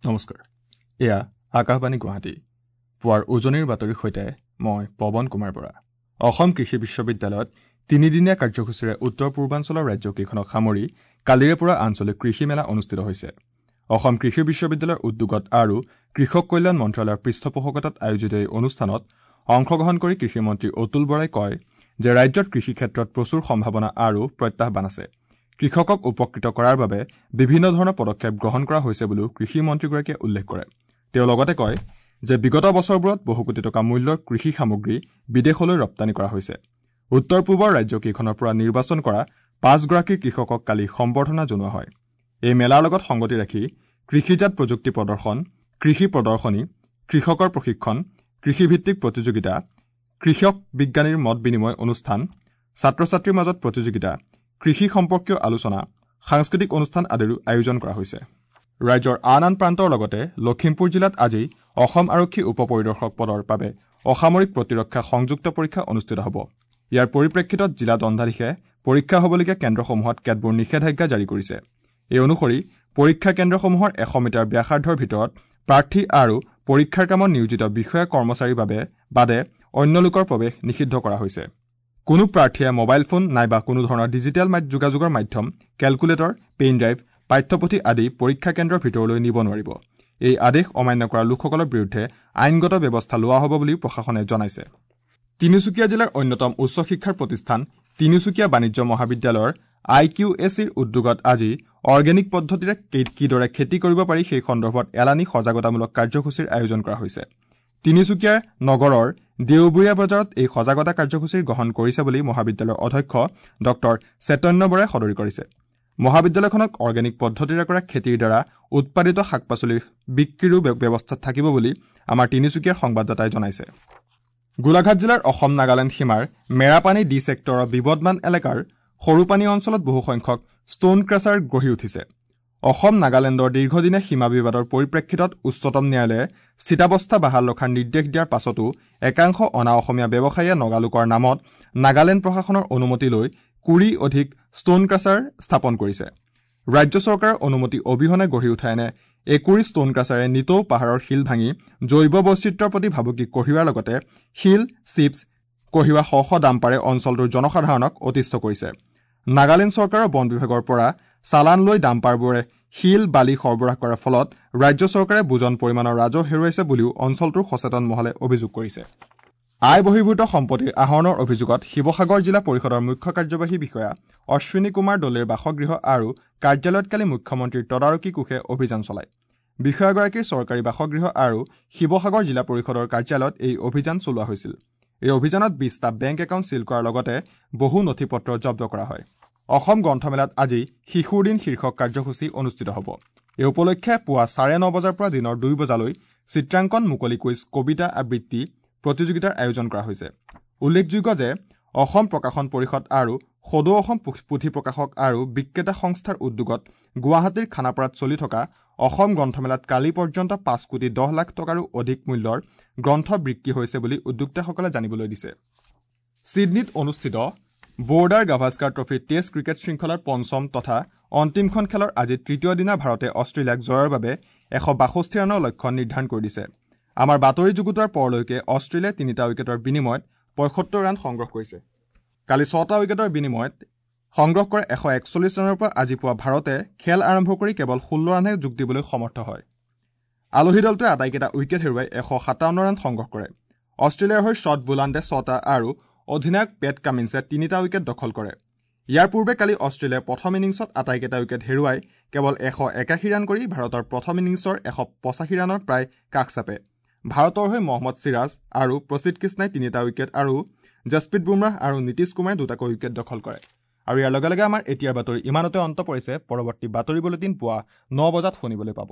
নমস্কাৰ, এয়া আকাশবাণী গুৱাহাটী। পুৱাৰ উজনিৰ বাতৰিৰ সৈতে মই পৱন কুমাৰ বৰা। অসম কৃষি বিশ্ববিদ্যালয়ত তিনিদিনীয়া কাৰ্যসূচীৰে উত্তৰ পূৰ্বাঞ্চলৰ ৰাজ্যকেইখনক সামৰি কালিৰে পৰা আঞ্চলিক কৃষি মেলা অনুষ্ঠিত হৈছে। অসম কৃষি বিশ্ববিদ্যালয়ৰ উদ্যোগত আৰু কৃষক কল্যাণ মন্ত্ৰালয়ৰ পৃষ্ঠপোষকতাত আয়োজিত এই অনুষ্ঠানত অংশগ্ৰহণ কৰি কৃষিমন্ত্ৰী অতুল বৰাই কয় যে ৰাজ্যত কৃষি ক্ষেত্ৰত প্ৰচুৰ সম্ভাৱনা আৰু প্ৰত্যাহ্বান আছে। কৃষকক উপকৃত কৰাৰ বাবে বিভিন্ন ধৰণৰ পদক্ষেপ গ্ৰহণ কৰা হৈছে বুলিও কৃষিমন্ত্ৰীগৰাকীয়ে উল্লেখ কৰে। তেওঁ লগতে কয় যে বিগত বছৰবোৰত বহু কোটি টকা মূল্যৰ কৃষি সামগ্ৰী বিদেশলৈ ৰপ্তানি কৰা হৈছে। উত্তৰ পূবৰ ৰাজ্যকেইখনৰ পৰা নিৰ্বাচন কৰা 5গৰাকী কৃষকক কালি সম্বৰ্ধনা জনোৱা হয়। এই মেলাৰ লগত সংগতি ৰাখি কৃষিজাত প্ৰযুক্তি প্ৰদৰ্শন, কৃষি প্ৰদৰ্শনী, কৃষকৰ প্ৰশিক্ষণ, কৃষিভিত্তিক প্ৰতিযোগিতা, কৃষক বিজ্ঞানীৰ মত বিনিময় অনুষ্ঠান, ছাত্ৰ ছাত্ৰীৰ মাজত প্ৰতিযোগিতা, কৃষি সম্পৰ্কীয় আলোচনা, সাংস্কৃতিক অনুষ্ঠান আদিৰো আয়োজন কৰা হৈছে। ৰাজ্যৰ আন আন প্ৰান্তৰ লগতে লখিমপুৰ জিলাত আজি অসম আৰক্ষী উপ পৰিদৰ্শক পদৰ বাবে অসামৰিক প্ৰতিৰক্ষা সংযুক্ত পৰীক্ষা অনুষ্ঠিত হ'ব। ইয়াৰ পৰিপ্ৰেক্ষিতত জিলা দণ্ডাধীশে পৰীক্ষা হ'বলগীয়া কেন্দ্ৰসমূহত কেতবোৰ নিষেধাজ্ঞা জাৰি কৰিছে। এই অনুসৰি পৰীক্ষা কেন্দ্ৰসমূহৰ 100 মিটাৰ ব্যাসাৰ্ধৰ ভিতৰত প্ৰাৰ্থী আৰু পৰীক্ষাৰ কামত নিয়োজিত বিষয়া কৰ্মচাৰীৰ বাবে বাদে অন্য লোকৰ প্ৰৱেশ নিষিদ্ধ কৰা হৈছে। কোনো প্ৰাৰ্থীয়ে মোবাইল ফোন নাইবা কোনো ধৰণৰ ডিজিটেল যোগাযোগৰ মাধ্যম, কেলকুলেটৰ, পেন ড্ৰাইভ, পাঠ্যপুথি আদি পৰীক্ষা কেন্দ্ৰৰ ভিতৰলৈ নিব নোৱাৰিব। এই আদেশ অমান্য কৰা লোকসকলৰ বিৰুদ্ধে আইনগত ব্যৱস্থা লোৱা হ'ব বুলিও প্ৰশাসনে জনাইছে। তিনিচুকীয়া জিলাৰ অন্যতম উচ্চ শিক্ষাৰ প্ৰতিষ্ঠান তিনিচুকীয়া বাণিজ্য মহাবিদ্যালয়ৰ আই কিউ এ চিৰ উদ্যোগত আজি অৰ্গেনিক পদ্ধতিৰে কিদৰে খেতি কৰিব পাৰি সেই সন্দৰ্ভত এলানি সজাগতামূলক কাৰ্যসূচীৰ আয়োজন কৰা হৈছে। তিনিচুকীয়া নগৰৰ দেওবৰীয়া বজাৰত এই সজাগতা কাৰ্যসূচীৰ গ্ৰহণ কৰিছে বুলি মহাবিদ্যালয়ৰ অধ্যক্ষ ডক্টৰ চৈতন্য বৰাই সদৰি কৰিছে। মহাবিদ্যালয়খনক অৰ্গেনিক পদ্ধতিৰে কৰা খেতিৰ দ্বাৰা উৎপাদিত শাক পাচলিৰ বিক্ৰীৰো ব্যৱস্থা থাকিব বুলি আমাৰ তিনিচুকীয়াৰ সংবাদদাতাই জনাইছে। গোলাঘাট জিলাৰ অসম নাগালেণ্ড সীমাৰ মেৰাপানী ডি ছেক্টৰৰ বিবদমান এলেকাৰ সৰুপানী অঞ্চলত বহুসংখ্যক ষ্ট'ন ক্ৰাছাৰ গঢ়ি উঠিছে। অসম নাগালেণ্ডৰ দীৰ্ঘদিনীয়া সীমা বিবাদৰ পৰিপ্ৰেক্ষিতত উচ্চতম ন্যায়ালয়ে স্থিতাৱস্থা বাহাল ৰখাৰ নিৰ্দেশ দিয়াৰ পাছতো একাংশ অনা অসমীয়া ব্যৱসায়ীয়ে নগালোকৰ নামত নাগালেণ্ড প্ৰশাসনৰ অনুমতি লৈ 20 অধিক ষ্ট'ন ক্ৰাছাৰ স্থাপন কৰিছে। ৰাজ্য চৰকাৰৰ অনুমতি অবিহনে গঢ়ি উঠা এনে 21 ষ্ট'ন ক্ৰাছাৰে নিতৌ পাহাৰৰ শিল ভাঙি জৈৱ বৈচিত্ৰ্যৰ প্ৰতি ভাবুকি কঢ়িওৱাৰ লগতে শিল, চিপছ কঢ়িওৱা শ শ ডাম্পাৰে অঞ্চলটোৰ জনসাধাৰণক অতিষ্ঠ কৰিছে। নাগালেণ্ড চৰকাৰৰ বন বিভাগৰ পৰা চালান লৈ ডাম্পাৰবোৰে শিল, বালি সৰবৰাহ কৰাৰ ফলত ৰাজ্য চৰকাৰে বুজন পৰিমাণৰ ৰাজহ হেৰুৱাইছে বুলিও অঞ্চলটোৰ সচেতন মহলে অভিযোগ কৰিছে। আয় বহিৰ্ভূত সম্পত্তিৰ আহৰণৰ অভিযোগত শিৱসাগৰ জিলা পৰিষদৰ মুখ্য কাৰ্যবাহী বিষয়া অশ্বিনী কুমাৰ দলেৰ বাসগৃহ আৰু কাৰ্যালয়ত কালি মুখ্যমন্ত্ৰীৰ তদাৰকী কোষে অভিযান চলায়। বিষয়াগৰাকীৰ চৰকাৰী বাসগৃহ আৰু শিৱসাগৰ জিলা পৰিষদৰ কাৰ্যালয়ত এই অভিযান চলোৱা হৈছিল। এই অভিযানত 20টা বেংক একাউণ্ট চিল কৰাৰ লগতে বহু নথি পত্ৰ জব্দ কৰা হয়। অসম গ্ৰন্থমেলাত আজি শিশুৰ দিন শীৰ্ষক কাৰ্যসূচী অনুষ্ঠিত হ'ব। এই উপলক্ষে পুৱা 9:30 বজাৰ পৰা দিনৰ 2 বজালৈ চিত্ৰাংকন, মুকলি কুইজ, কবিতা আবৃত্তি প্ৰতিযোগিতাৰ আয়োজন কৰা হৈছে। উল্লেখযোগ্য যে অসম প্ৰকাশন পৰিষদ আৰু সদৌ অসম পুথি প্ৰকাশক আৰু বিক্ৰেতা সংস্থাৰ উদ্যোগত গুৱাহাটীৰ খানাপাৰাত চলি থকা অসম গ্ৰন্থমেলাত কালি পৰ্যন্ত 5 কোটি 10 লাখ টকাৰো অধিক মূল্যৰ গ্ৰন্থ বিক্ৰী হৈছে বুলি উদ্যোক্তাসকলে জানিবলৈ দিছে। ছিডনীত অনুষ্ঠিত Border Gavaskar trophy test cricket শৃংখলাৰ পঞ্চম তথা অন্তিমখন খেলৰ আজি তৃতীয় দিনা ভাৰতে অষ্ট্ৰেলিয়াক জয়ৰ বাবে 162 ৰানৰ লক্ষ্য নিৰ্ধাৰণ কৰি দিছে। আমাৰ বাতৰি যুগুতোৱাৰ পৰলৈকে অষ্ট্ৰেলিয়াই 3টা উইকেটৰ বিনিময়ত 75 ৰান সংগ্ৰহ কৰিছে। কালি 6টা উইকেটৰ বিনিময়ত সংগ্ৰহ কৰা 141 ৰানৰ পৰা আজি পুৱা ভাৰতে খেল আৰম্ভ কৰি কেৱল 16 ৰানহে যোগ দিবলৈ সমৰ্থ হয়। আলহী দলটোৱে আটাইকেইটা উইকেট হেৰুৱাই 157 ৰান সংগ্ৰহ কৰে। অষ্ট্ৰেলিয়াৰ হৈ শ্বট বোলাণ্ডে 6টা আৰু অধিনায়ক পেট কামিন্সে 3টা উইকেট দখল কৰে। ইয়াৰ পূৰ্বে কালি অষ্ট্ৰেলিয়াই প্ৰথম ইনিংছত আটাইকেইটা উইকেট হেৰুৱাই কেৱল 181 ৰান কৰি ভাৰতৰ প্ৰথম ইনিংছৰ 185 ৰানৰ প্ৰায় কাষ চাপে। ভাৰতৰ হৈ মহম্মদ চিৰাজ আৰু প্ৰসিদ্ধ কৃষ্ণাই 3টা উইকেট আৰু জছপ্ৰীত বুমৰাহ আৰু নীতিশ কুমাৰে 2টাকৈ উইকেট দখল কৰে। আৰু ইয়াৰ লগে লগে আমাৰ এতিয়াৰ বাতৰি ইমানতে অন্ত পৰিছে। পৰৱৰ্তী বাতৰি বুলেটিন পুৱা 9 বজাত শুনিবলৈ পাব।